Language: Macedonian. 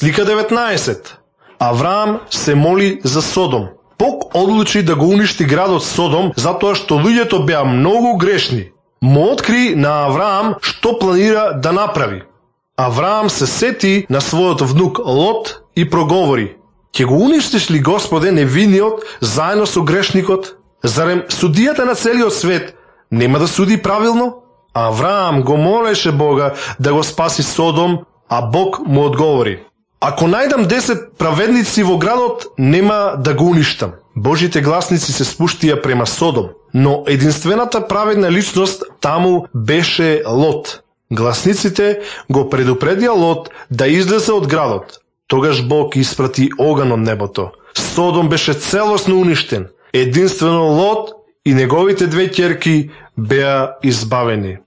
Слика 19. Авраам се моли за Содом. Бог одлучи да го уништи градот Содом затоа што луѓето беа многу грешни. Му откри на Авраам што планира да направи. Авраам се сети на својот внук Лот и проговори: ќе го уништиш ли, Господе, невиниот заедно со грешникот? Зарем судијата на целиот свет нема да суди правилно? Авраам го молеше Бога да го спаси Содом, а Бог му одговори: ако најдам 10 праведници во градот, нема да го уништам. Божите гласници се спуштија према Содом, но единствената праведна личност таму беше Лот. Гласниците го предупредија Лот да излезе од градот. Тогаш Бог испрати оган од небото. Содом беше целосно уништен. Единствено Лот и неговите две ќерки беа избавени.